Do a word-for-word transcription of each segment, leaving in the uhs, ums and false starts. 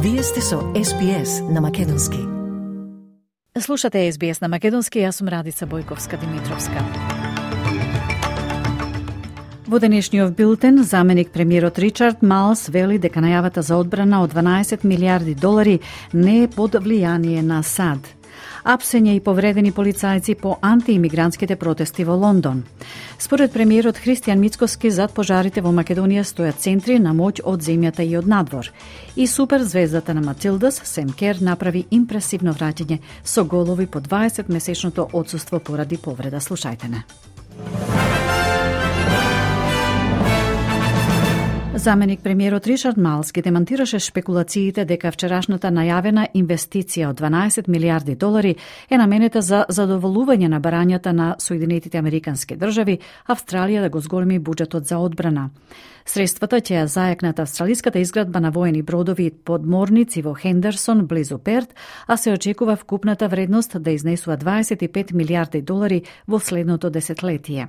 Вие сте со Ес Би Ес на македонски. Слушате Ес Би Ес на македонски, јас сум Радица Бојковска-Димитровска. Во денешниот билтен, заменик премиерот Ричард Малс вели дека најавата за одбрана од дванаесет милијарди долари не е под влијание на САД. Апсење и повредени полицајци по антиимигрантските протести во Лондон. Според премиерот Христијан Мицкоски, зад пожарите во Македонија стојат центри на моќ од земјата и од надвор. И суперзвездата на Матилдас, Сем Кер, направи импресивно враќање со голови по дваесет месечното отсуство поради повреда. Слушајте не. Заменик премиерот Ричард Малс ги демантираше шпекулациите дека вчерашната најавена инвестиција од дванаесет милијарди долари е наменета за задоволување на барањата на Соединетите Американски држави, Австралија да го зголеми буџетот за одбрана. Средствата ќе ја зајакнат австралиската изградба на воени бродови и подморници во Хендерсон, близу Перт, а се очекува вкупната вредност да изнесува дваесет и пет милијарди долари во следното десетлетие.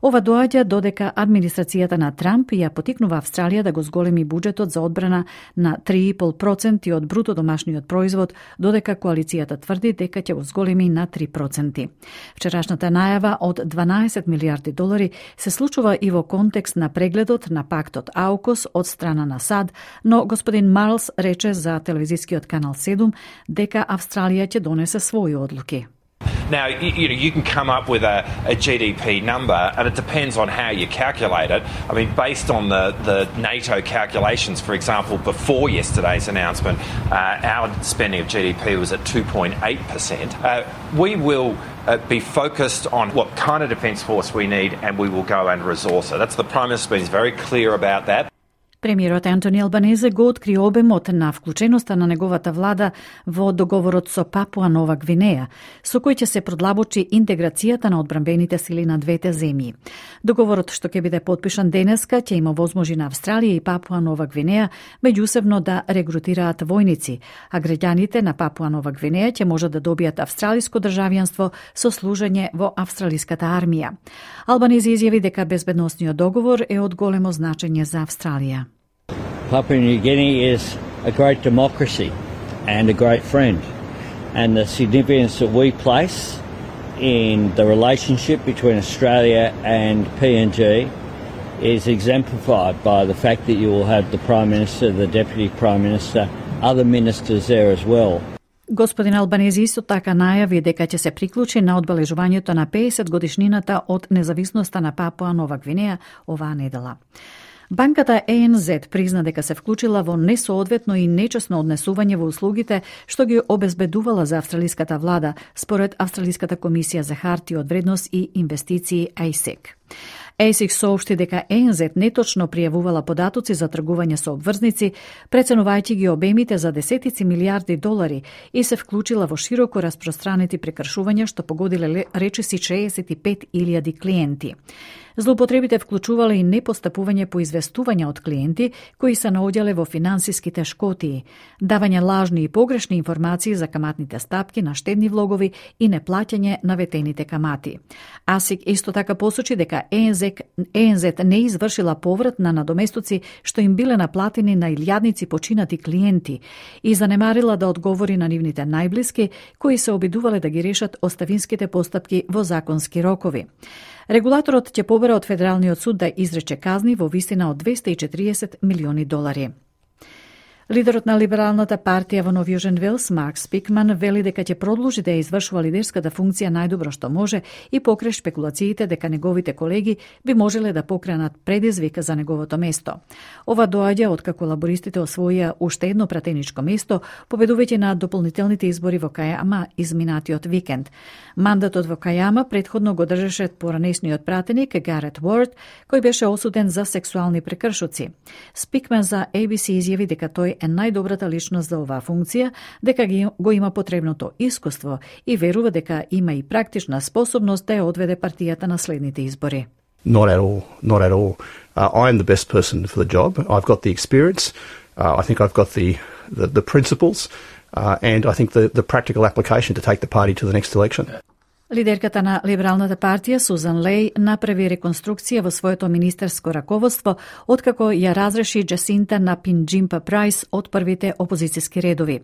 Ова доаѓа додека администрацијата на Трамп ја потикнува Австралија да го зголеми буџетот за одбрана на три и пол проценти од бруто домашниот производ, додека коалицијата тврди дека ќе го зголеми на три проценти. Вчерашната најава од дванаесет милијарди долари се случува и во контекст на прегледот на пактот АУКУС од страна на САД, но господин Марлс рече за телевизискиот канал седум дека Австралија ќе донесе своји одлуки. Now, you, you know, you can come up with a, a G D P number, and it depends on how you calculate it. I mean, based on the, the NATO calculations, for example, before yesterday's announcement, uh, our spending of G D P was at two point eight percent. Uh, we will uh, be focused on what kind of defence force we need, and we will go and resource it. That's the Prime Minister's been very clear about that. Премиерот Антони Албанезе го откри обемот на вклученоста на неговата влада во договорот со Папуа Нова Гвинеја, со кој ќе се продлабочи интеграцијата на одбранбените сили на двете земји. Договорот што ќе биде потпишан денеска ќе има возможи на Австралија и Папуа Нова Гвинеја меѓусебно да регрутираат војници, а граѓаните на Папуа Нова Гвинеја ќе можат да добијат австралиско државјанство со служење во австралиската армија. Албанезе изјави дека безбедносниот договор е од големо значење за Австралија. Papua New Guinea is a great democracy and a great friend, and the significance that we place in the relationship between Australia and P N G is exemplified by the fact that you will have the Prime Minister, the Deputy Prime Minister, other ministers there as well. Господин Албанези исто така најави дека ќе се приклучи на одбележувањето на пеесет годишнината од независноста на Папуа Нова Гвинеја оваа недела. Банката Е Ен Зет призна дека се вклучила во несоодветно и нечесно однесување во услугите што ги обезбедувала за австралиската влада, според Австралиската комисија за харти од вредност и инвестиции А И С И К. А И С И К соопшти дека Е Ен Зет неточно пријавувала податоци за тргување со обврзници, преценувајќи ги обемите за десетици милијарди долари и се вклучила во широко распространети прекршувања што погодиле речиси шеесет и пет илјади клиенти. Злоупотребите вклучувале и непостапување по известувања од клиенти кои се наоѓале во финансиски тешкотии, давање лажни и погрешни информации за каматните стапки на штедни влогови и неплаќање на ветените камати. А С И К исто така посочи дека Е Ен Зет не извршила поврат на надоместоци што им биле наплатени на илјадници починати клиенти и занемарила да одговори на нивните најблиски кои се обидувале да ги решат оставинските постапки во законски рокови. Регулаторот ќе побара од Федералниот суд да изрече казни во висина од двесте и четириесет милиони долари. Лидерот на Либералната партија во Нов Јужен Велс, Марк Спикман, вели дека ќе продолжи да ја извршува лидерската функција најдобро што може и покрај шпекулациите дека неговите колеги би можеле да покренат предизвик за неговото место. Ова доаѓа откако лабористите освоија уште едно пратеничко место, победувајќи на дополнителните избори во Кајама изминатиот викенд. Мандатот во Кајама предходно го држеше поранешниот пратеник Гарет Уорд, кој беше осуден за сексуални прекршоци. Спикман за А Би Си изјави дека тој е најдобрата личност за оваа функција, дека ги, го има потребното искуство и верува дека има и практична способност да ја одведе партијата на следните избори. Not at all, not at all. Uh, I am the best person for the job. I've got the experience. Uh, I think I've got the, the, the principles. Uh, and I think the, the practical application to take the party to the next election. Лидерката на Либералната партија Сузан Леј направи реконструкција во своето министерско раководство откако ја разреши Джасинта Напинџимпа Прајс од првите опозициски редови.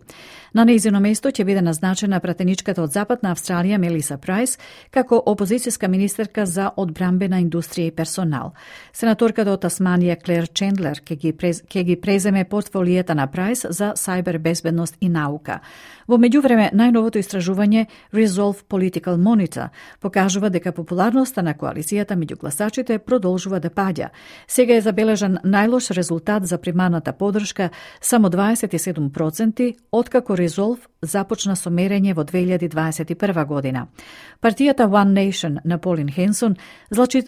На нејзино место ќе биде назначена пратеничката од Западна Австралија Мелиса Прајс како опозициска министерка за одбрамбена индустрија и персонал. Сенаторката од Тасманија Клер Чендлер ќе ги, през, ќе ги преземе портфолијата на Прајс за сајбер безбедност и наука. Во меѓувреме, најновото истражување Resolve Political Monitor покажува дека популарноста на коалицијата меѓу гласачите продолжува да паѓа. Сега е забележан најлош резултат за примарната подршка, само дваесет и седум проценти, откако Resolve започна со мерење во две илјади дваесет и прва година. Партијата One Nation на Полин Хенсон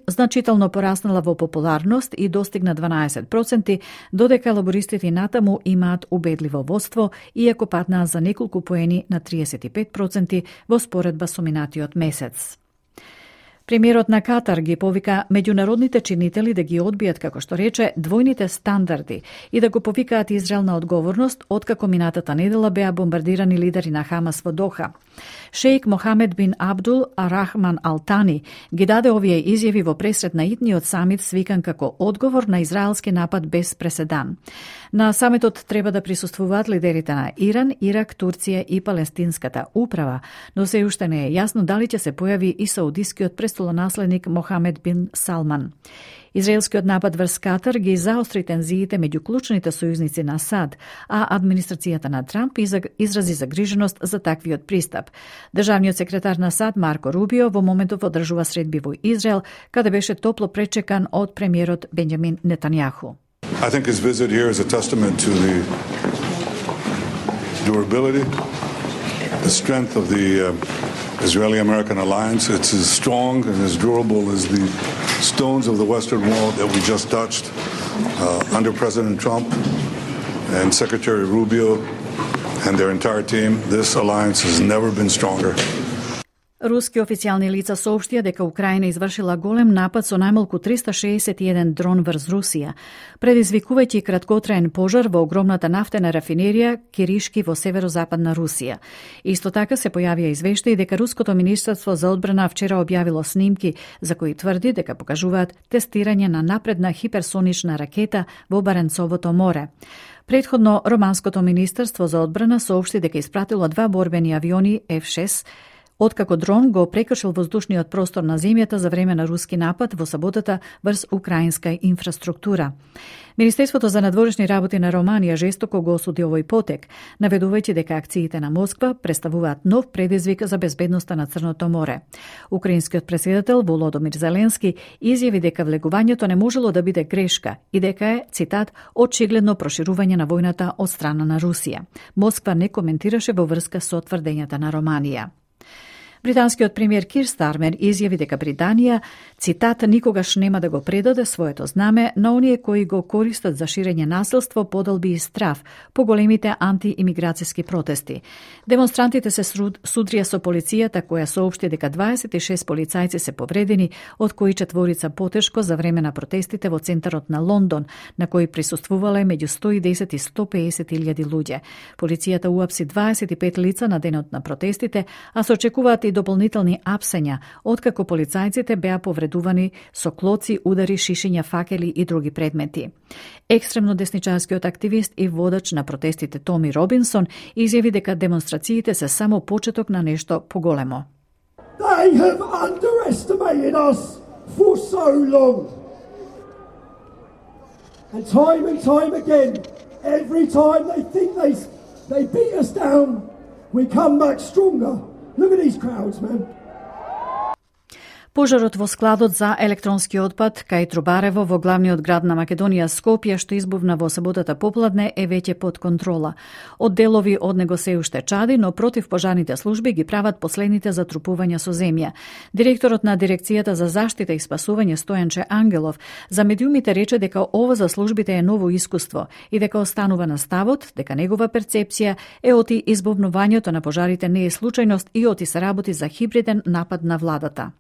значително пораснала во популарност и достигна дванаесет проценти, додека лабористите натаму имаат убедливо водство, иако паднаа за неколку поени на триесет и пет проценти во споредба со минатиот месец. Премиерот на Катар ги повика меѓународните чинители да ги одбијат, како што рече, двојните стандарди и да го повикаат Израел на одговорност, откако минатата недела беа бомбардирани лидери на Хамас во Доха. Шејк Мохамед бин Абдул Арахман Алтани ги даде овие изјави во пресред на итниот самит свикан како одговор на израелски напад без преседан. На самитот треба да присуствуваат лидерите на Иран, Ирак, Турција и Палестинската управа, но се уште не е јасно дали ќе се појави и саудискиот престолонаследник Мохамед бин Салман. Израелскиот напад врз Катар ги заостри тензиите меѓу клучните сојузници на САД, а администрацијата на Трамп изрази загриженост за таквиот пристап. Државниот секретар на САД Марко Рубио во моментов одржува средби во Израел, каде беше топло пречекан од премиерот Бенџамин Нетањаху. I think his visit here is a testament to the durability, the strength of the uh, Israeli-American alliance. It's as strong and as durable as the stones of the Western Wall that we just touched uh, under President Trump and Secretary Rubio and their entire team. This alliance has never been stronger. Руски официјални лица соопштија дека Украина извршила голем напад со најмалку триста шеесет и еден дрон врз Русија, предизвикувајќи краткотраен пожар во огромната нафтена рафинерија Киришки во северозападна Русија. Исто така се појавија извештаи дека Руското министерство за одбрана вчера објавило снимки за кои тврди дека покажуваат тестирање на напредна хиперсонична ракета во Баренцовото море. Предходно, Романското министерство за одбрана соопшти дека испратило два борбени авиони Еф шест, откако дрон го прекршил воздушниот простор на земјата за време на руски напад во саботата врз украинска инфраструктура. Министерството за надворешни работи на Романија жестоко го осуди овој потек, наведувајќи дека акциите на Москва представуваат нов предизвик за безбедноста на Црното море. Украинскиот претседател Володомир Зеленски изјави дека влегувањето не можело да биде грешка и дека е, цитат, очигледно проширување на војната од страна на Русија. Москва не коментираше во врска со тврдењата на Романија. Британскиот премиер Кир Стармер изјави дека Британија, цитат, никогаш нема да го предаде своето знаме на оние кои го користат за ширење насилство, подолби и страф по големите антиимиграцијски протести. Демонстрантите се судрија со полицијата, која соопшти дека дваесет и шест полицајци се повредени, од кои четворица потешко за време на протестите во центарот на Лондон, на кои присуствувале меѓу сто и десет и сто и песет илјади луѓе. Полицијата уапси дваесет и пет лица на денот на протестите, а се очекуваат и дополнителни апсења, откако полицајците беа повредувани со клоци, удари, шишења, факели и други предмети. Екстремно десничарскиот активист и водач на протестите Томи Робинсон изјави дека демонстрациите се само почеток на нешто поголемо. They have underestimated us for so long. And time and time again, every time they think they they beat us down, we come back stronger. Look at these crowds, man. Пожарот во складот за електронски отпад кај Трубарево во главниот град на Македонија Скопје, што избувна во саботата попладне, е веќе под контрола. Од делови од него се уште чади, но противпожарните служби ги прават последните затрупувања со земја. Директорот на Дирекцијата за заштита и спасување Стојанче Ангелов за медиумите рече дека ова за службите е ново искуство и дека останува на ставот дека негова перцепција е оти избувнувањето на пожарите не е случајност и оти се работи за хибриден напад на владата.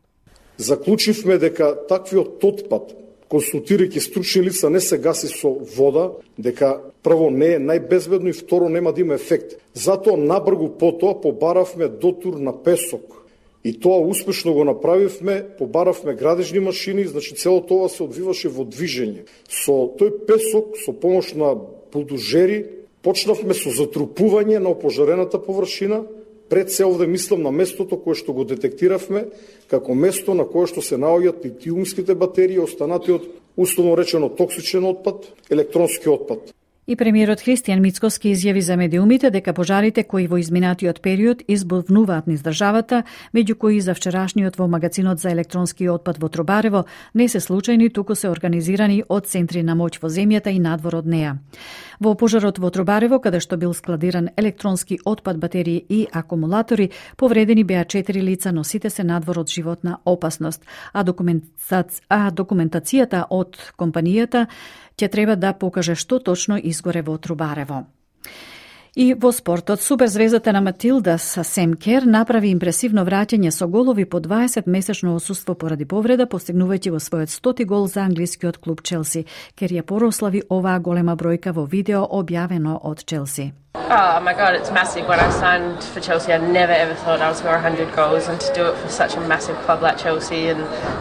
Заклучивме дека таквиот отпад, консултирајќи стручни лица, не се гаси со вода, дека прво не е најбезбедно и второ нема да има ефект. Затоа набргу потоа побаравме дотур на песок И тоа успешно го направивме, побаравме градежни машини, значи цело тоа се одвиваше во движење. Со тој песок, со помош на булдожери, почнавме со затрупување на опожарената површина. Пред се овде мислам на местото кое што го детектиравме како место на кое што се наоѓаат литиумските батерии, останатиот условно речено токсичен отпад, електронски отпад. И премиерот Христијан Мицкоски изјави за медиумите дека пожарите кои во изминатиот период избувнуваат низ државата, меѓу кои за вчерашниот во магазинот за електронски отпад во Тробарево, не се случајни, туку се организирани од центри на моќ во земјата и надвор од неа. Во пожарот во Тробарево, каде што бил складиран електронски отпад, батерии и акумулатори, повредени беа четири лица, но сите се надвор од животна опасност, а, документаци... а документацијата од компанијата ќе треба да покаже што точно изгоре во Тробарево. И во спортот, суперзвездата на Матилдас Сем Кер направи импресивно враќање со голови по дваесет месечно отсуство поради повреда, постигнувајќи го својот стоти гол за англискиот клуб Челси. Кер ја прослави оваа голема бројка во видео објавено од Челси. Oh my God, it's massive. When I signed for Chelsea, I never ever thought I would score one hundred goals, and to do it for such a massive club like Chelsea and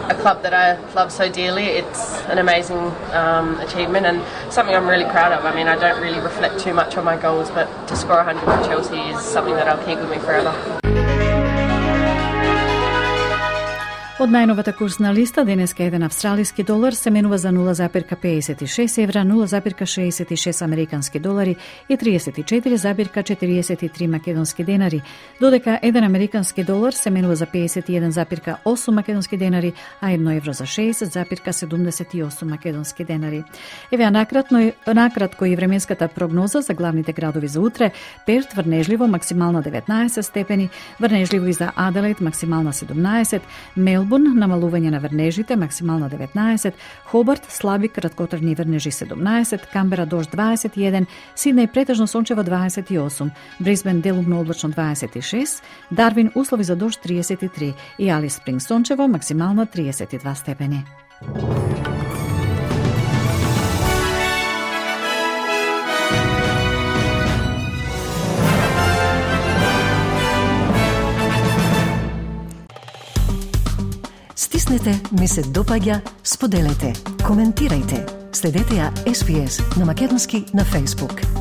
a club that I love so dearly, it's an amazing um, achievement and something I'm really proud of. I mean, I don't really reflect too much on my goals, but to score one hundred for Chelsea is something that I'll keep with me forever. Од најновата курсна листа, денеска еден австралиски долар се менува за нула запирка пеесет и шест евра, нула запирка шеесет и шест американски долари и триесет и четири запирка четириесет и три македонски денари, додека еден американски долар се менува за пеесет и еден запирка осум македонски денари, а едно евро за шеесет запирка седумдесет и осум македонски денари. Еве накратно, накратко и временската прогноза за главните градови за утре: Перт врнежливо максимална деветнаесет степени, врнежливо и за Аделаид максимална седумнаесет, Мелбурн намалување на врнежите максимална деветнаесет, Хобарт слаби краткотрajни врнежи седумнаесет, Камбера дожд дваесет и еден, Сиднеј претежно сончево дваесет и осум, Брисбен делумно облачно дваесет и шест, Дарвин услови за дожд триесет и три и Алис Спринг сончево максимална триесет и два степени. Стиснете, ми се допаѓа, споделете, коментирајте. Следете ја Ес Би Ес на македонски на Facebook.